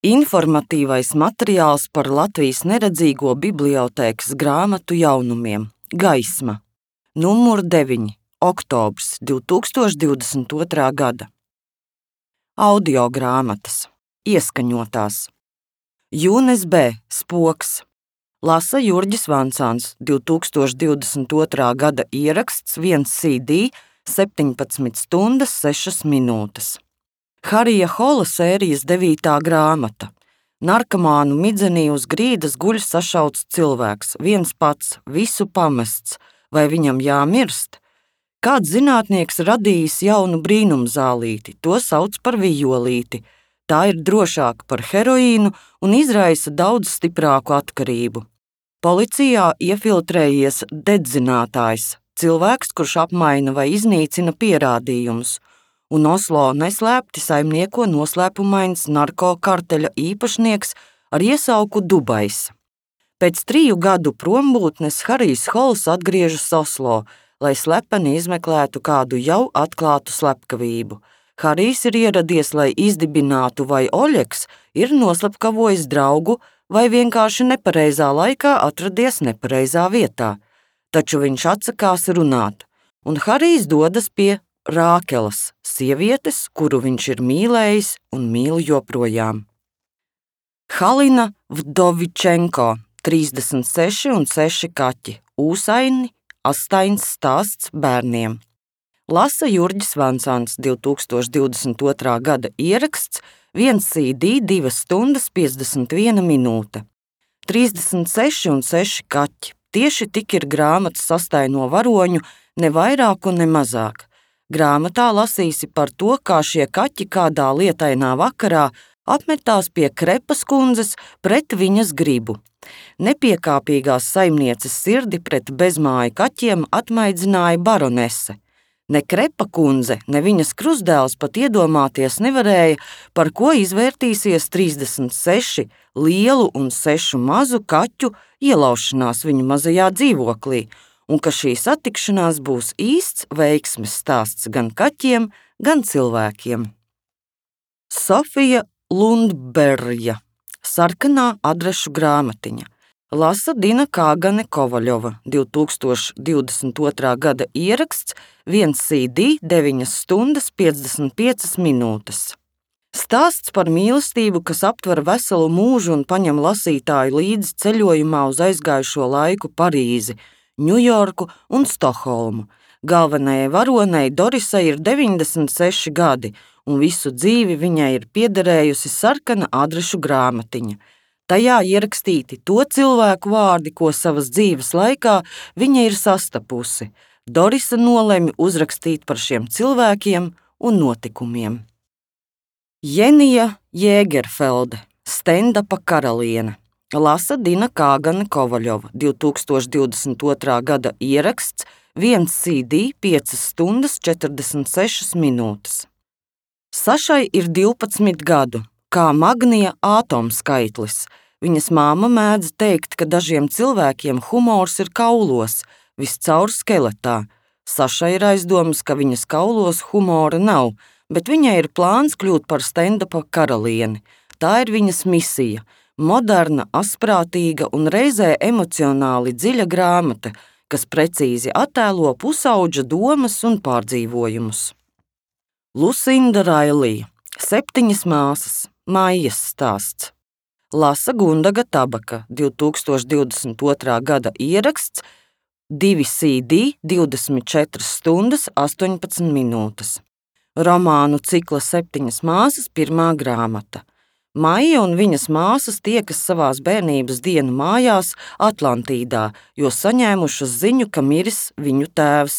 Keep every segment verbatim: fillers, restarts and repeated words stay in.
Informatīvais materiāls par Latvijas neredzīgo bibliotēkas grāmatu jaunumiem. Gaisma. Numur deviņi. Oktobrs divi tūkstoši divdesmit otrā gada. Audio grāmatas. Ieskaņotās. Jūnes B. Spoks. Lasa Jurģis Vansāns, divi tūkstoši divdesmit otrā gada ieraksts, viens C D, septiņpadsmit stundas, sešas minūtes. Harija Hola sērijas devītā grāmata. Narkomānu midzenī uz grīdas guļ sašauts cilvēks, viens pats, visu pamests, vai viņam jāmirst? Kāds zinātnieks radījis jaunu brīnumzālīti, to sauc par vijolīti. Tā ir drošāka par heroīnu un izraisa daudz stiprāku atkarību. Policijā iefiltrējies dedzinātājs, cilvēks, kurš apmaina vai iznīcina pierādījumus, un Oslo neslēpti saimnieko noslēpumains narkokarteļa īpašnieks ar iesauku Dubais. Pēc triju gadu prombūtnes Harijs Hols atgriežas Oslo, lai slepeni izmeklētu kādu jau atklātu slepkavību. Harijs ir ieradies, lai izdibinātu, vai Oļeks ir noslepkavojis draugu vai vienkārši nepareizā laikā atradies nepareizā vietā. Taču viņš atsakās runāt, un Harijs dodas pie Rākelas, sievietes, kuru viņš ir mīlējis un mīl joprojām. Halina Vdovičenko, trīsdesmit seši un seši kaķi, ūsaini, astains stāsts bērniem. Lasa Jurģis Vansāns, divi tūkstoši divdesmit otrā gada ieraksts, viens C D, divas stundas, piecdesmit viena minūte. trīsdesmit seši un seši kaķi, tieši tik ir grāmatas sastaino varoņu, ne vairāk un ne mazāk. Grāmatā lasīsi par to, kā šie kaķi kādā lietainā vakarā apmetās pie Krepas kundzes pret viņas gribu. Nepiekāpīgās saimnieces sirdi pret bezmāju kaķiem atmaidzināja baronese. Ne Krepa kundze, ne viņas krustdēls pat iedomāties nevarēja, par ko izvērtīsies trīsdesmit seši lielu un sešu mazu kaķu ielaušanās viņu mazajā dzīvoklī, un ka šī satikšanās būs īsts veiksmes stāsts gan kaķiem, gan cilvēkiem. Sofija Lundberja, sarkanā adrešu grāmatiņa. Lasa Dina Kāgane Kovaļova, divi tūkstoši divdesmit otrā gada ieraksts, viens C D, deviņas stundas, piecdesmit piecas minūtes. Stāsts par mīlestību, kas aptver veselu mūžu un paņem lasītāju līdzi ceļojumā uz aizgājušo laiku Parīzi, Ņujorku un Stokholmu. Galvenajai varonei Dorisai ir deviņdesmit seši gadi, un visu dzīvi viņai ir piederējusi sarkana adrešu grāmatiņa. Tajā ierakstīti to cilvēku vārdi, ko savas dzīves laikā viņa ir sastapusi. Dorisa nolemj uzrakstīt par šiem cilvēkiem un notikumiem. Jenija Jēgerfelde, stendapa karaliene. Lasa Dina Kāgane Kovaļova, divi tūkstoši divdesmit otrā gada ieraksts, viens C D, piecas stundas, četrdesmit sešas minūtes. Sašai ir divpadsmit gadu, kā Magnija ātomskaitlis. Viņas māma mēdz teikt, ka dažiem cilvēkiem humors ir kaulos, viscaur skeletā. Sašai ir aizdomas, ka viņas kaulos humora nav, bet viņai ir plāns kļūt par stendapa karalieni. Tā ir viņas misija. Moderna, asprātīga un reizē emocionāli dziļa grāmata, kas precīzi attēlo pusauģa domas un pārdzīvojumus. Lusinda Railija, septiņas māsas, Maijas stāsts. Lasa Gundaga Tabaka, divi tūkstoši divdesmit otrā gada ieraksts, divi C D, divdesmit četras stundas, astoņpadsmit minūtes. Romānu cikla Septiņas māsas, pirmā grāmata. Maija un viņas māsas tiekas savās bērnības dienu mājās Atlantīdā, jo saņēmušas ziņu, ka miris viņu tēvs.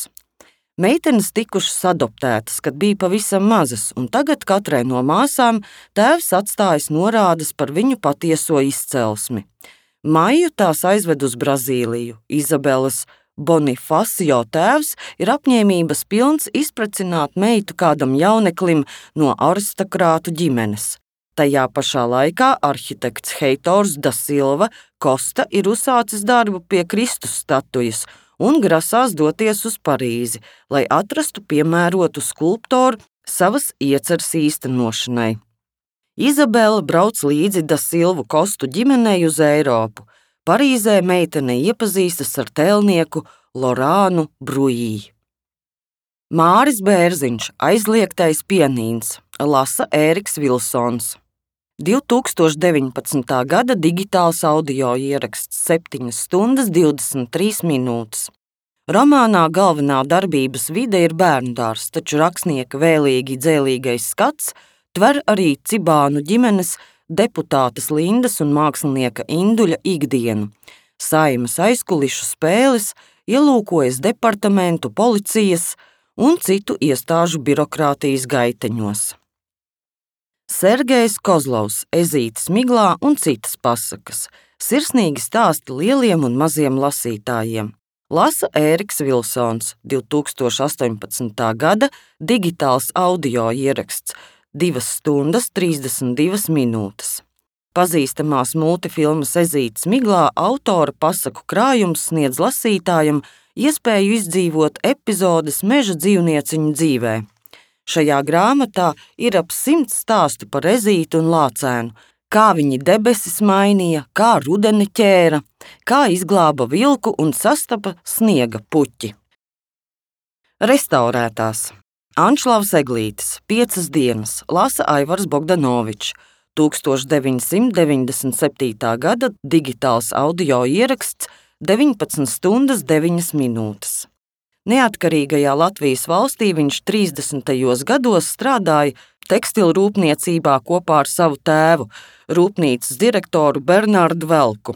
Meitenes tikušas adoptētas, kad bija pavisam mazas, un tagad katrai no māsām tēvs atstājas norādes par viņu patieso izcelsmi. Maiju tās aizved uz Brazīliju. Izabelas Bonifacio tēvs ir apņēmības pilns izprecināt meitu kādam jauneklim no aristokrātu ģimenes. Tajā pašā laikā arhitekts Heitors da Silva Kosta ir uzsācis darbu pie Kristus statujas un grasās doties uz Parīzi, lai atrastu piemērotu skulptoru savas ieceres īstenošanai. Izabela brauc līdzi Da Silvu Kostu ģimenei uz Eiropu. Parīzē meitene iepazīstas ar tēlnieku Lorānu Brujī. Māris Bērziņš, Aizliegtais pianīns, lasa Ēriks Vilsons. divi tūkstoši deviņpadsmitā gada digitāls audio ieraksts septiņas stundas divdesmit trīs minūtes. Romānā galvenā darbības vide ir bērndārs, taču rakstnieka vēlīgi dzēlīgais skats tver arī Cibānu ģimenes, deputātes Lindas un mākslinieka Induļa ikdienu, saimas aizkulišu spēles, ielūkojas departamentu, policijas un citu iestāžu birokrātijas gaiteņos. Sergejs Kozlovs, Ezītes miglā un citas pasakas, sirsnīgi stāsti lieliem un maziem lasītājiem. Lasa Ēriks Vilsons, divi tūkstoši astoņpadsmitā gada digitāls audio ieraksts, divas stundas trīsdesmit divas minūtes. Pazīstamās multifilmas Ezītes miglā autora pasaku krājums sniedz lasītājam iespēju izdzīvot epizodes meža dzīvnieciņu dzīvē. Šajā grāmatā ir ap simts stāstu par Ezīti un Lācēnu, kā viņi debesis mainīja, kā rudeni ķēra, kā izglāba vilku un sastapa sniega puķi. Restaurētās. Anšlavs Eglītis, Piecas dienas, lasa Aivars Bogdanovičs, tūkstoš deviņsimt deviņdesmit septītā gada digitāls audio ieraksts, deviņpadsmit stundas deviņas minūtes. Neatkarīgajā Latvijas valstī viņš trīsdesmitajos gados strādāja tekstilu rūpniecībā kopā ar savu tēvu, rūpnīcas direktoru Bernārdu Velku.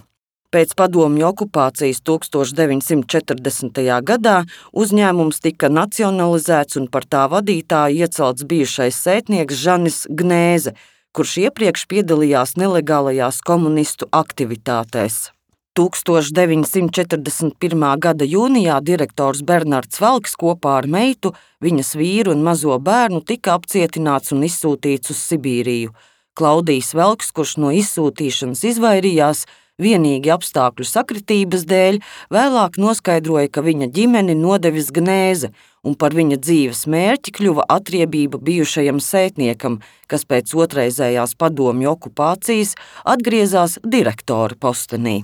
Pēc padomju okupācijas tūkstoš deviņsimt četrdesmitajā gadā uzņēmums tika nacionalizēts un par tā vadītāju iecelts bijušais sētnieks Žanis Gnēze, kurš iepriekš piedalījās nelegālajās komunistu aktivitātēs. tūkstoš deviņsimt četrdesmit pirmā gada jūnijā direktors Bernārds Velks kopā ar meitu, viņas vīru un mazo bērnu tika apcietināts un izsūtīts uz Sibīriju. Klaudijs Velks, kurš no izsūtīšanas izvairījās, vienīgi apstākļu sakritības dēļ, vēlāk noskaidroja, ka viņa ģimeni nodevis Gnēze, un par viņa dzīves mērķi kļuva atriebība bijušajam sētniekam, kas pēc otrreizējās padomju okupācijas atgriezās direktora postenī.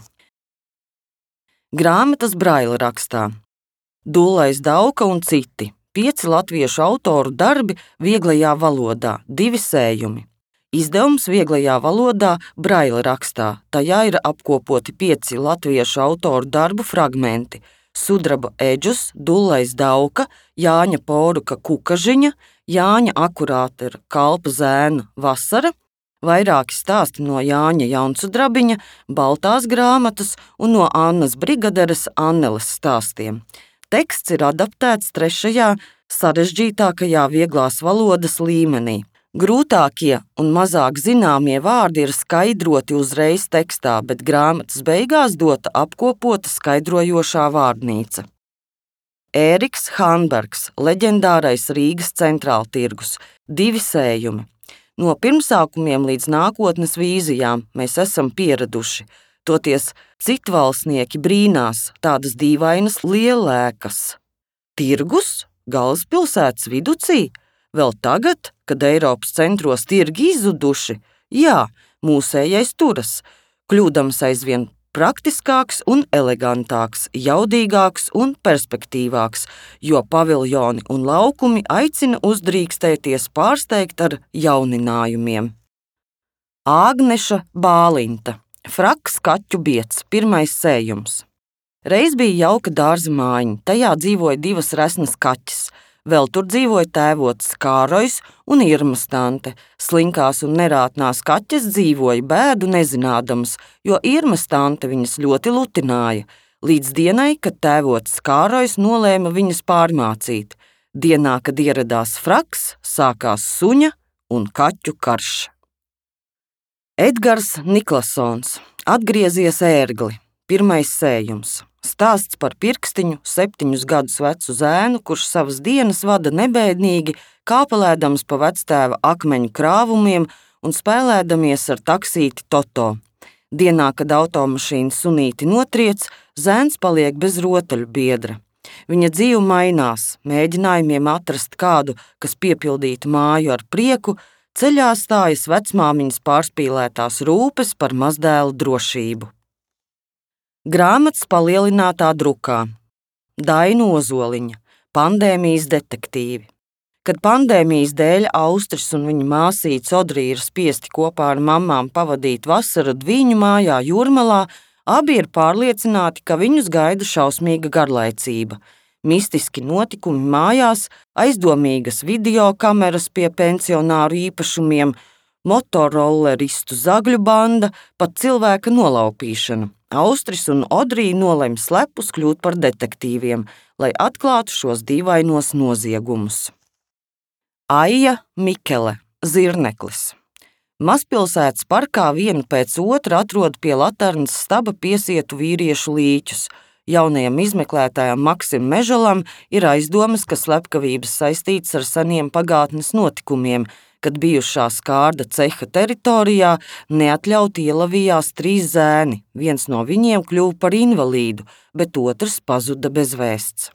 Grāmatas braila rakstā. Dullais Dauka un citi. Pieci latviešu autoru darbi vieglajā valodā, divi sējumi. Izdevums vieglajā valodā braila rakstā. Tajā ir apkopoti pieci latviešu autoru darbu fragmenti. Sudraba Eģus, Dullais Dauka, Jāņa Poruka Kukažiņa, Jāņa Akurāta Kalpa Zēna Vasara, vairāki stāsti no Jāņa Jaunsudrabiņa, Baltās grāmatas un no Annas Brigaderes Anneles stāstiem. Teksts ir adaptēts trešajā sarežģītākajā vieglās valodas līmenī. Grūtākie un mazāk zināmie vārdi ir skaidroti uzreiz tekstā, bet grāmatas beigās dota apkopota skaidrojošā vārnīca. Ēriks Hanbergs, leģendārais Rīgas centrāltirgus, divi sējumi. No pirmsākumiem līdz nākotnes vīzijām mēs esam pieraduši, toties citvalstnieki brīnās tādas dīvainas lielēkas. Tirgus? Galvaspilsētas viducī? Vēl tagad, kad Eiropas centros tirgi izzuduši? Jā, mūsējais turas, kļūdams aizvien praktiskāks un elegantāks, jaudīgāks un perspektīvāks, jo paviljoni un laukumi aicina uzdrīkstēties pārsteigt ar jauninājumiem. Āgneša Bālinta, Fraks kaķu biets, pirmais sējums. Reiz bija jauka dārza mājiņa, tajā dzīvoja divas resnas kaķis. Vēl tur dzīvoja tēvots Kārojs un Irmas tante. Slinkās un nerātnās kaķes dzīvoja bēdu nezinādams, jo Irmas tante viņas ļoti lutināja, līdz dienai, kad tēvots Kārojs nolēma viņas pārmācīt. Dienā, kad ieradās Fraks, sākās suņa un kaķu karš. Edgars Niklasons, Atgriezies ērgli, pirmais sējums. Stāsts par pirkstiņu, septiņus gadus vecu zēnu, kurš savas dienas vada nebēdnīgi, kāpelēdams pa vectēva akmeņu krāvumiem un spēlēdamies ar taksīti Toto. Dienā, kad automašīna sunīti notriec, zēns paliek bez rotaļu biedra. Viņa dzīve mainās, mēģinājumiem atrast kādu, kas piepildītu māju ar prieku, ceļā stājas vecmāmiņas pārspīlētās rūpes par mazdēla drošību. Grāmatas palielinātā drukā. Daina Ozoliņa, pandēmijas detektīvi. Kad pandēmijas dēļ Austris un viņa māsīca Odrija ir spiesti kopā ar mammām pavadīt vasaru Dviņu mājā Jūrmalā, abi ir pārliecināti, ka viņus gaida šausmīga garlaicība. Mistiski notikumi mājās, aizdomīgas videokameras pie pensionāru īpašumiem, motorolleristu zagļu banda, pat cilvēka nolaupīšana. Austris un Odrija nolem slepus kļūt par detektīviem, lai atklātu šos dīvainos noziegumus. Aija Mikele, Zirneklis. Mazpilsētas parkā vienu pēc otra atrod pie Laternas staba piesietu vīriešu līķus. Jaunajam izmeklētājam Maksim Mežalam ir aizdomas, ka slepkavības saistītas ar seniem pagātnes notikumiem, kad bijušā skārda ceha teritorijā neatļauti ielavījās trīs zēni. Viens no viņiem kļuva par invalīdu, bet otrs pazuda bez vēsts.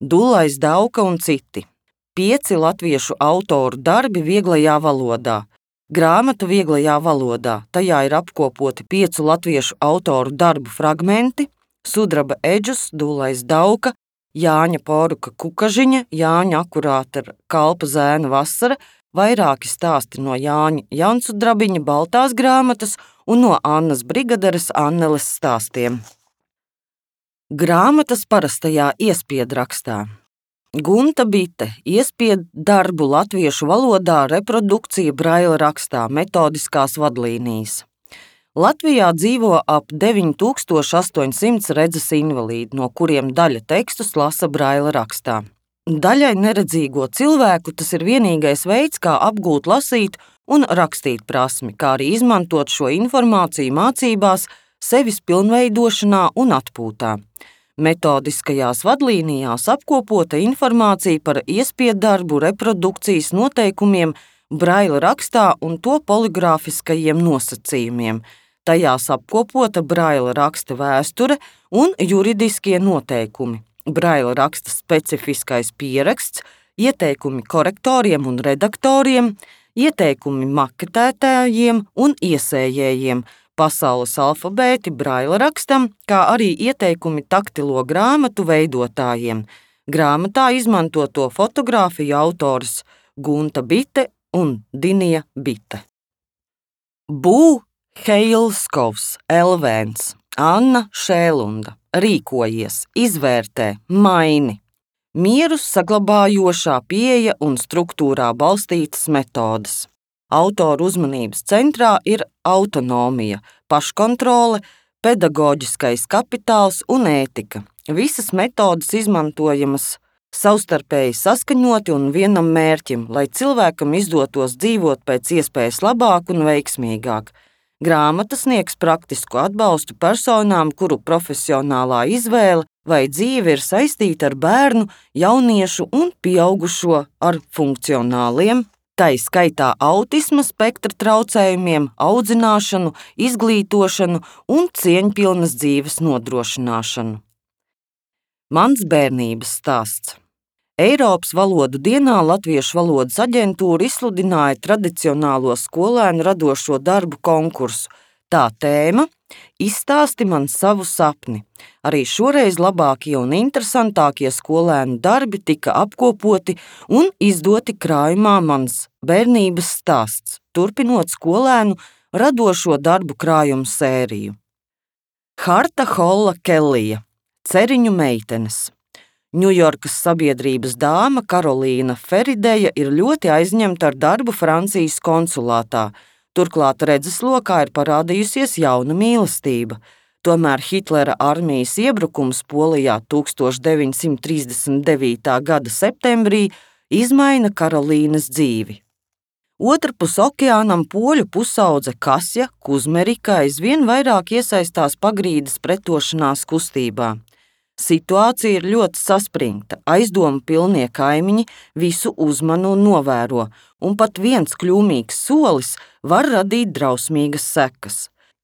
Dulais Dauka un citi. Pieci latviešu autoru darbi vieglajā valodā. Grāmata vieglajā valodā. Tajā ir apkopoti piecu latviešu autoru darbu fragmenti: Sudraba Eģus, Dulais Dauka, Jāņa Poruka Kukažiņa, Jāņa Akurāta Kalpa zēna vasara, vairāki stāsti no Jāņa Jansudrabiņa baltās grāmatas un no Annas Brigaderes Anneles stāstiem. Grāmatas parastajā iespiedrakstā. Gunta Bite, iespied darbu latviešu valodā, reprodukcija Braila rakstā, metodiskās vadlīnijas. Latvijā dzīvo ap deviņi tūkstoši astoņsimt redzes invalīdi, no kuriem daļa tekstus lasa Braila rakstā. Daļai neredzīgo cilvēku tas ir vienīgais veids, kā apgūt lasīt un rakstīt prasmi, kā arī izmantot šo informāciju mācībās, sevis pilnveidošanā un atpūtā. Metodiskajās vadlīnijās apkopota informācija par iespieddarbu reprodukcijas noteikumiem Braila rakstā un to poligrāfiskajiem nosacījumiem. Tajās apkopota Braila raksta vēsture un juridiskie noteikumi, Braila raksta specifiskais pieraksts, ieteikumi korektoriem un redaktoriem, ieteikumi maketētājiem un iesējējiem, pasaules alfabēti Braila rakstam, kā arī ieteikumi taktilo grāmatu veidotājiem. Grāmatā izmantoto fotogrāfiju autors Gunta Bite un Dinija Bite. Bū Heilskovs, Elvēns, Anna Šēlunda. Rīkojies, izvērtē, maini. Mieru saglabājošā pieeja un struktūrā balstītas metodes. Autoru uzmanības centrā ir autonomija, paškontrole, pedagoģiskais kapitāls un ētika. Visas metodes izmantojamas savstarpēji saskaņoti un vienam mērķim, lai cilvēkam izdotos dzīvot pēc iespējas labāk un veiksmīgāk. Grāmata sniegs praktisku atbalstu personām, kuru profesionālā izvēle vai dzīve ir saistīta ar bērnu, jauniešu un pieaugušo ar funkcionāliem, tai skaitā autisma spektra traucējumiem, audzināšanu, izglītošanu un cieņpilnas dzīves nodrošināšanu. Mans bērnības stāsts. Eiropas valodu dienā Latviešu valodas aģentūra izsludināja tradicionālo skolēnu radošo darbu konkursu. Tā tēma – Izstāsti man savu sapni. Arī šoreiz labākie un interesantākie skolēnu darbi tika apkopoti un izdoti krājumā Mans bērnības stāsts, turpinot skolēnu radošo darbu krājumu sēriju. Harta Holla Kellija, Ceriņu meitenes. Ņujorkas sabiedrības dāma Karolīna Ferideja ir ļoti aizņemta ar darbu Francijas konsulātā. Turklāt redzeslokā ir parādījusies jauna mīlestība. Tomēr Hitlera armijas iebrukums Polijā tuksstoš deviņsimt trīsdesmit devītā gada septembrī izmaina Karolīnas dzīvi. Otrpus okeānam poļu pusaudze Kasja Kuzmerika aizvien vairāk iesaistās pagrīdes pretošanās kustībā. Situācija ir ļoti saspringta, aizdomu pilnie kaimiņi visu uzmanu un novēro, un pat viens kļūmīgs solis var radīt drausmīgas sekas.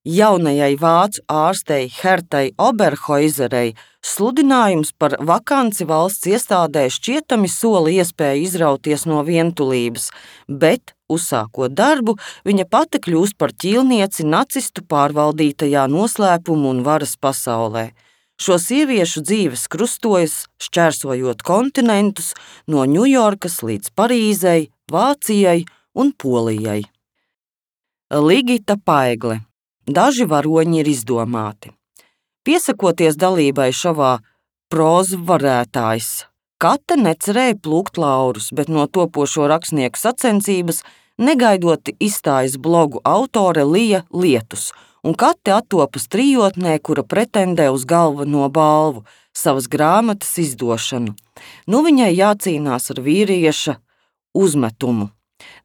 Jaunajai vācu ārstei Hertai Oberhoizerei sludinājums par vakanci valsts iestādē šķietami sola iespēju izrauties no vientulības, bet uzsākot darbu, viņa pati kļūst par ķīlnieci nacistu pārvaldītajā noslēpumu un varas pasaulē. Šo sieviešu dzīves krustojas, šķērsojot kontinentus no Ņujorkas līdz Parīzei, Vācijai un Polijai. Ligita Paigle. Daži varoņi ir izdomāti. Piesakoties dalībai šovā Prozu varētājs, Kate necerēja plūkt laurus, bet no topošo rakstnieku sacensības negaidoti izstājas blogu autore Lija Lietus, un Kate attopas trijotnē, kura pretendē uz galveno balvu, savas grāmatas izdošanu. Nu viņai jācīnās ar vīrieša uzmetumu.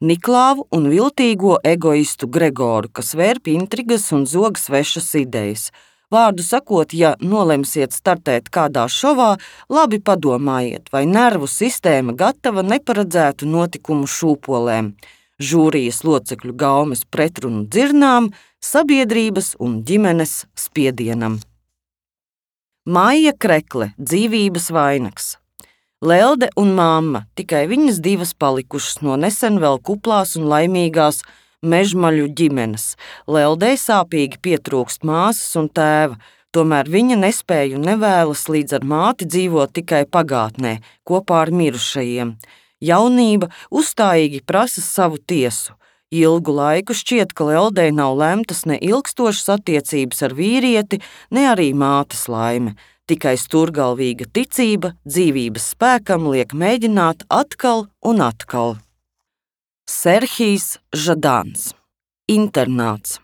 Niklāvu un viltīgo egoistu Gregoru, kas vērp intrigas un zog svešas idejas. Vārdu sakot, ja nolemsiet startēt kādā šovā, labi padomājiet, vai nervu sistēma gatava neparedzētu notikumu šūpolēm, žūrijas locekļu gaumes pretrunu dzirnām, sabiedrības un ģimenes spiedienam. Maija Krekle, dzīvības vainags. Lelde un mamma, tikai viņas divas palikušas no nesen vēl kuplās un laimīgās Mežmaļu ģimenes. Leldei sāpīgi pietrūkst māsas un tēva, tomēr viņa nespēja un nevēlas līdz ar māti dzīvot tikai pagātnē, kopā ar mirušajiem. Jaunība uzstājīgi prasa savu tiesu. Ilgu laiku šķiet, ka Leldei nav lemtas ne ilgstošas attiecības ar vīrieti, ne arī mātes laime. Tikai sturgalvīga ticība dzīvības spēkam liek mēģināt atkal un atkal. Serhijs Žadāns. Internāts.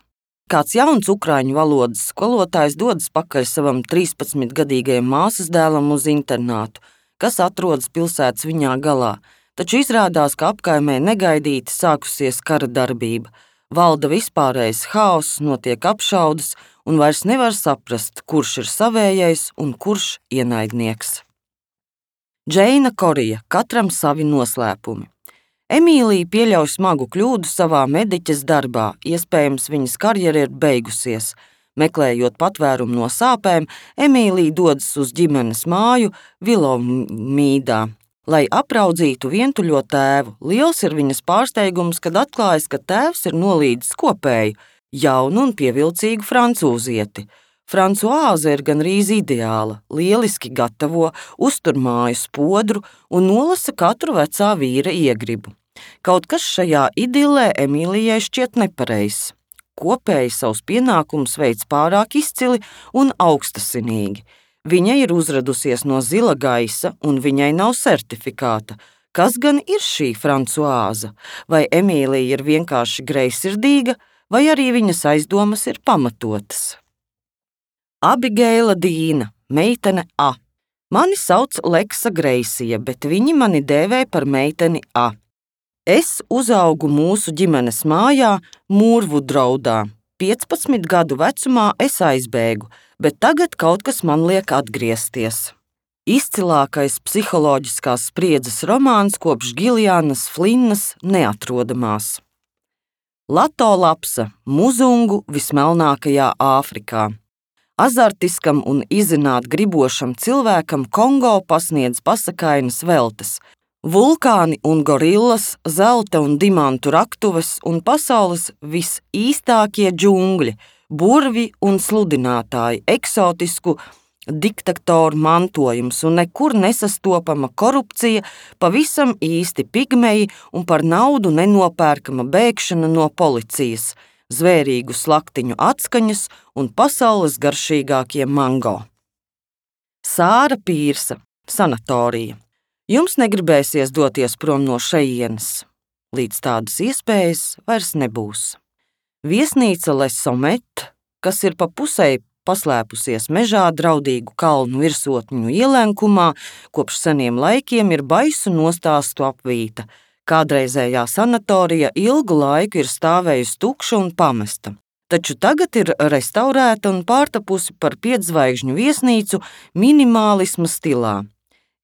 Kāds jauns ukraiņu valodas skolotājs dodas pakaļ savam trīspadsmitgadīgajam māsas dēlam uz internātu, kas atrodas pilsētas viņā galā, taču izrādās, ka apkaimē negaidīti sākusies kara darbība. Valda vispārējais haoss, notiek apšaudes un vairs nevar saprast, kurš ir savējais un kurš ienaidnieks. Džeina Korija, katram savi noslēpumi. Emīlija pieļauj smagu kļūdu savā mediķes darbā, iespējams viņas karjera ir beigusies. Meklējot patvērumu no sāpēm, Emīlija dodas uz ģimenes māju Vilomīdā, lai apraudzītu vientuļo tēvu. Liels ir viņas pārsteigums, kad atklājas, ka tēvs ir nolīdzis kopēju, jaunu un pievilcīgu francūzieti. Francoāze ir gandrīz ideāla, lieliski gatavo, uztur māju spodru un nolasa katru vecā vīra iegribu. Kaut kas šajā idilē Emīlijai šķiet nepareizs. Kopēji savus pienākumus veic pārāk izcili un augstasinīgi. Viņa ir uzradusies no zila gaisa un viņai nav certifikāta. Kas gan ir šī Francoāze? Vai Emīlija ir vienkārši greizsirdīga, vai arī viņas aizdomas ir pamatotas? Abigeila Dīna, meitene A. Mani sauc Leksa Greisija, bet viņi mani dēvē par meiteni A. Es uzaugu mūsu ģimenes mājā Mūrvudraudā. piecpadsmit gadu vecumā es aizbēgu, bet tagad kaut kas man liek atgriezties. Izcilākais psiholoģiskās spriedzes romāns kopš Giljānas Flinnas neatrodamās. Lato Lapsa, muzungu vismelnākajā Āfrikā. Azartiskam un izzināt gribošam cilvēkam Kongo pasniedz pasakainas veltes, vulkāni un gorillas, zelta un dimantu raktuves un pasaules visīstākie džungļi, burvi un sludinātāji, eksotisku diktatoru mantojums un nekur nesastopama korupcija, pavisam īsti pigmeji un par naudu nenopērkama bēgšana no policijas, zvērīgu slaktiņu atskaņas un pasaules garšīgākie mango. Sāra Pīrsa, sanatorija. Jums negribēsies doties prom no šejienes. Līdz tādas iespējas vairs nebūs. Viesnīca Le Sommet, kas ir pa pusei paslēpusies mežā draudīgu kalnu virsotņu ielenkumā, kopš seniem laikiem ir baisu nostāstu apvīta. Kādreizējā sanatorija ilgu laiku ir stāvējusi tukša un pamesta, taču tagad ir restaurēta un pārtapusi par pietzvaigžņu viesnīcu minimālisma stilā.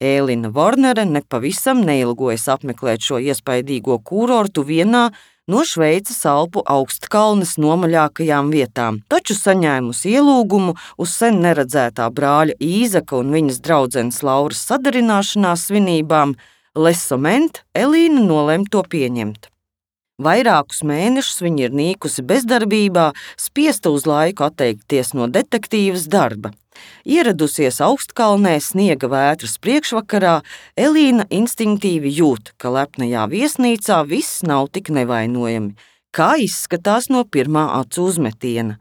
Ēlina Vornere nepavisam neilgojas apmeklēt šo iespaidīgo kūrortu vienā no Šveices Alpu augstkalnes nomaļākajām vietām, taču saņēmusi ielūgumu uz sen neredzētā brāļa Īzaka un viņas draudzenes Lauras sadarināšanās svinībām, Le Sommet Elīna nolēma to pieņemt. Vairākus mēnešus viņa ir nīkusi bezdarbībā, spiesta uz laiku atteikties no detektīvas darba. Ieradusies Augstkalnē sniega vētras priekšvakarā, Elīna instinktīvi jūt, ka lepnajā viesnīcā viss nav tik nevainojami, kā izskatās no pirmā acu uzmetiena.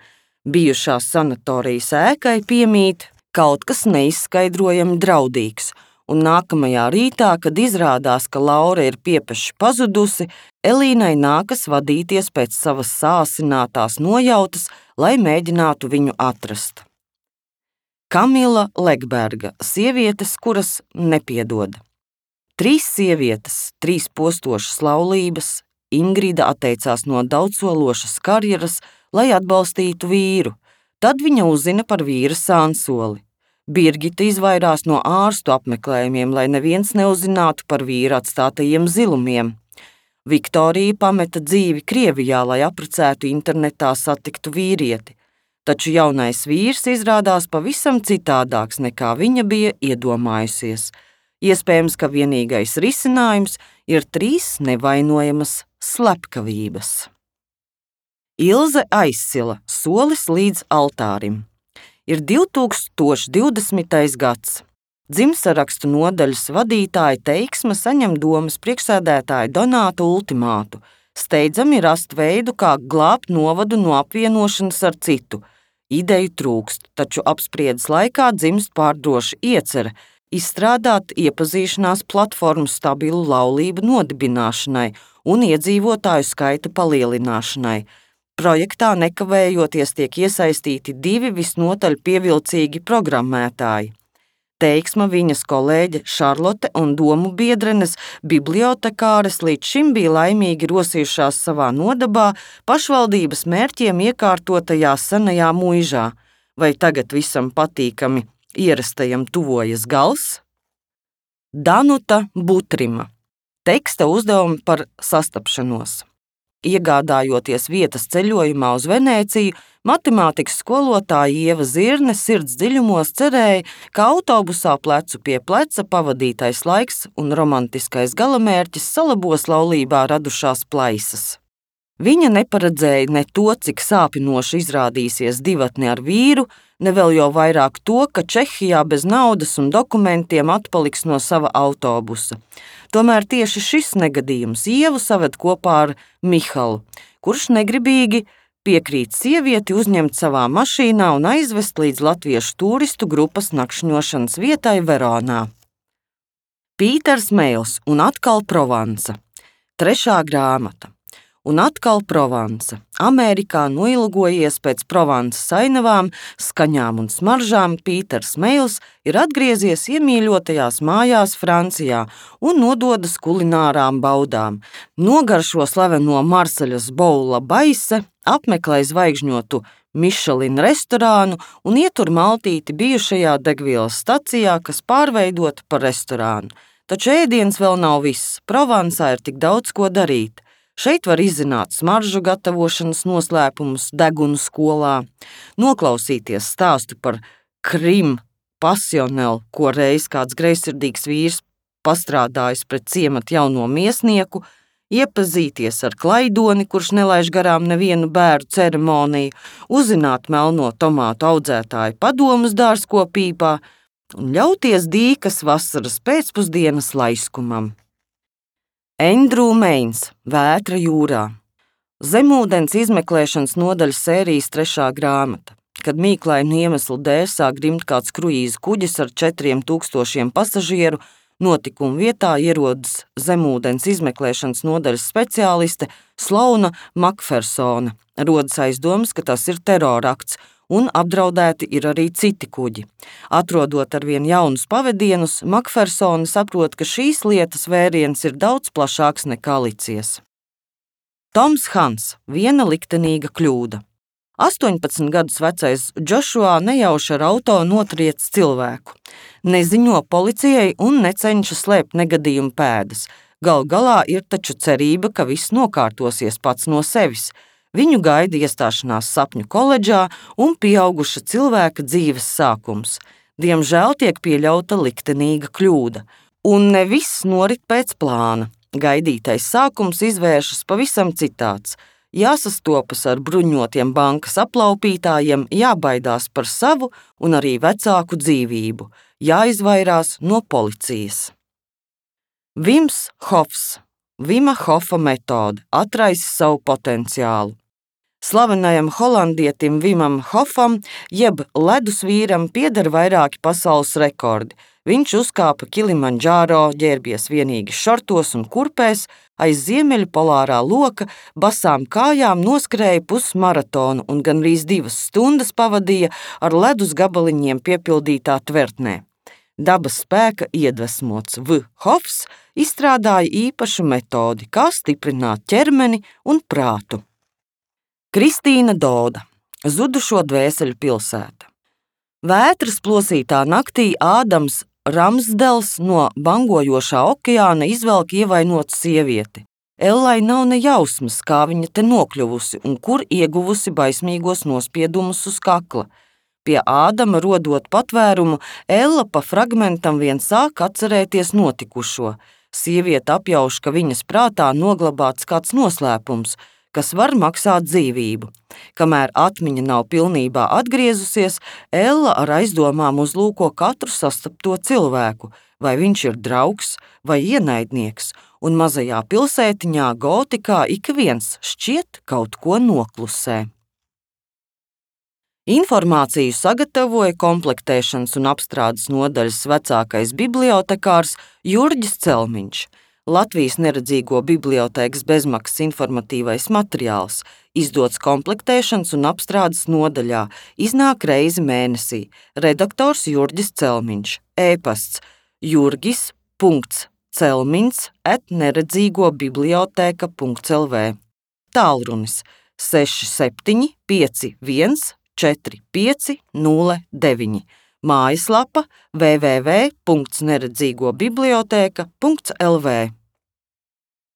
Bijušās sanatorijas ēkai piemīt kaut kas neizskaidrojami draudīgs, un nākamajā rītā, kad izrādās, ka Laura ir piepeši pazudusi, Elīnai nākas vadīties pēc savas sāsinātās nojautas, lai mēģinātu viņu atrast. Kamila Legberga, sievietes, kuras nepiedod. Trīs sievietes, trīs postošas laulības, Ingrida atteicās no daudzsološas karjeras, lai atbalstītu vīru. Tad viņa uzzina par vīra sānsoli. Birgita izvairās no ārstu apmeklējumiem, lai neviens neuzzinātu par vīra atstātajiem zilumiem. Viktorija pameta dzīvi Krievijā, lai apprecētu internetā satiktu vīrieti, taču jaunais vīrs izrādās pavisam citādāks, nekā viņa bija iedomājusies. Iespējams, ka vienīgais risinājums ir trīs nevainojamas slepkavības. Ilze Aizsila, solis līdz altārim. Ir divi tūkstoši divdesmitais gads. Dzimtsarakstu nodaļas vadītāja Teiksme saņem domas priekšsēdētāja Donāta ultimātu. Steidzami rast veidu, kā glābt novadu no apvienošanas ar citu. Ideju trūkst, taču apspriedes laikā dzimst pārdroša iecerē izstrādāt iepazīšanās platformu stabilu laulību nodibināšanai un iedzīvotāju skaita palielināšanai. Projektā nekavējoties tiek iesaistīti divi visnotaļ pievilcīgi programmētāji. Teiksma, viņas kolēģe Šarlote un domu biedrenes bibliotekāres līdz šim bija laimīgi rosījušās savā nodabā pašvaldības mērķiem iekārtotajā senajā muižā. Vai tagad visam patīkami ierastajam tuvojas gals? Danuta Butrima. Teksta uzdevumi par sastapšanos. Iegādājoties vietas ceļojumā uz Venēciju, matemātikas skolotāja Ieva Zirne sirds dziļumos cerēja, ka autobusā plecu pie pleca pavadītais laiks un romantiskais galamērķis salabos laulībā radušās plaisas. Viņa neparedzēja ne to, cik sāpinoši izrādīsies divatne ar vīru, ne vēl jau vairāk to, ka Čehijā bez naudas un dokumentiem atpaliks no sava autobusa. Tomēr tieši šis negadījums Ievu saved kopā ar Mihalu, kurš negribīgi piekrīt sievieti uzņemt savā mašīnā un aizvest līdz latviešu turistu grupas nakšņošanas vietai Veronā. Pīters Meils un atkal Provansa. Trešā grāmata. Un atkal Provansa. Amerikā noilgojies pēc Provansas ainavām, skaņām un smaržām, Pīters Meils ir atgriezies iemīļotajās mājās Francijā un nododas kulinārām baudām. Nogaršo slaveno Marseļas Boula Baise, apmeklē zvaigžņotu Michelin restorānu un ietur maltīti bijušajā degvielas stacijā, kas pārveidota par restorānu. Taču ēdiens vēl nav viss. Provansā ir tik daudz ko darīt. Šeit var izzināt smaržu gatavošanas noslēpumus degunu skolā, noklausīties stāstu par krim pasionelu, ko reiz kāds greizsirdīgs vīrs pastrādājis pret ciemata jauno miesnieku, iepazīties ar klaidoni, kurš nelaiž garām nevienu bēru ceremoniju, uzzināt melno tomātu audzētāju padomus dārzkopībā un ļauties dīkas vasaras pēcpusdienas laiskumam. Endrū Meins, Vētra jūrā. Zemūdens izmeklēšanas nodaļas sērijas trešā grāmata. Kad mīklainu iemeslu dēļ sāk grimt kāds kruīza kuģis ar četriem tūkstošiem pasažieru, notikuma vietā ierodas zemūdens izmeklēšanas nodaļas speciāliste Slauna Makfersone. Rodas aizdomas, ka tas ir terorakts, un apdraudēti ir arī citi kuģi. Atrodot arvien jaunus pavedienus, Makfersone saprot, ka šīs lietas vēriens ir daudz plašāks nekā licies. Toms Hans, viena liktenīga kļūda. astoņpadsmit gadus vecais Džošua nejauši ar auto notriec cilvēku. Neziņo policijai un necenšas slēpt negadījumu pēdas. Gal galā ir taču cerība, ka viss nokārtosies pats no sevis. Viņu gaida iestāšanās sapņu koledžā un pieauguša cilvēka dzīves sākums. Diemžēl tiek pieļauta liktenīga kļūda, un ne viss norit pēc plāna. Gaidītais sākums izvēršas pavisam citāds. Jāsastopas ar bruņotiem bankas aplaupītājiem, jābaidās par savu un arī vecāku dzīvību, jāizvairās no policijas. Vims Hofs, Vima Hofa metode, atraisa savu potenciālu. Slavenajam holandietim Vimam Hofam, jeb ledus vīram, pieder vairāki pasaules rekordi. Viņš uzkāpa Kilimandžāro, ģērbies vienīgi šortos un kurpēs, aiz ziemeļu polārā loka, basām kājām noskrēja pusmaratonu un gandrīz divas stundas pavadīja ar ledus gabaliņiem piepildītā tvertnē. Dabas spēka iedvesmots V. Hofs izstrādāja īpašu metodi, kā stiprināt ķermeni un prātu. Kristīna Doda, Zudušo dvēseļu pilsēta. Vētras plosītā naktī Ādams Ramsdels no bangojošā okeāna izvelk ievainotu sievieti. Ellai nav ne jausmas, kā viņa te nokļuvusi un kur ieguvusi baismīgos nospiedumus uz kakla. Pie Ādama rodot patvērumu, Ella pa fragmentam vien sāk atcerēties notikušo. Sieviete apjauš, ka viņas prātā noglabāts kāds noslēpums, kas var maksāt dzīvību. Kamēr atmiņa nav pilnībā atgriezusies, Ella ar aizdomām uzlūko katru sastapto cilvēku, vai viņš ir draugs vai ienaidnieks, un mazajā pilsētiņā Gotikā ik viens šķiet kaut ko noklusē. Informāciju sagatavoja komplektēšanas un apstrādes nodaļas vecākais bibliotekārs Jurģis Celmiņš. Latvijas neredzīgo bibliotēkas bezmaksas informatīvais materiāls, izdots komplektēšanas un apstrādes nodaļā, iznāk reizi mēnesī. Redaktors Jurģis Celmiņš, e-pasts jurgis punkts celmiņs at neredzīgo bibliotēka punkts l v, tālrunis seši septiņi pieci viens četri pieci nulle deviņi, mājaslapa w w w punkts neredzīgo bibliotēka punkts l v.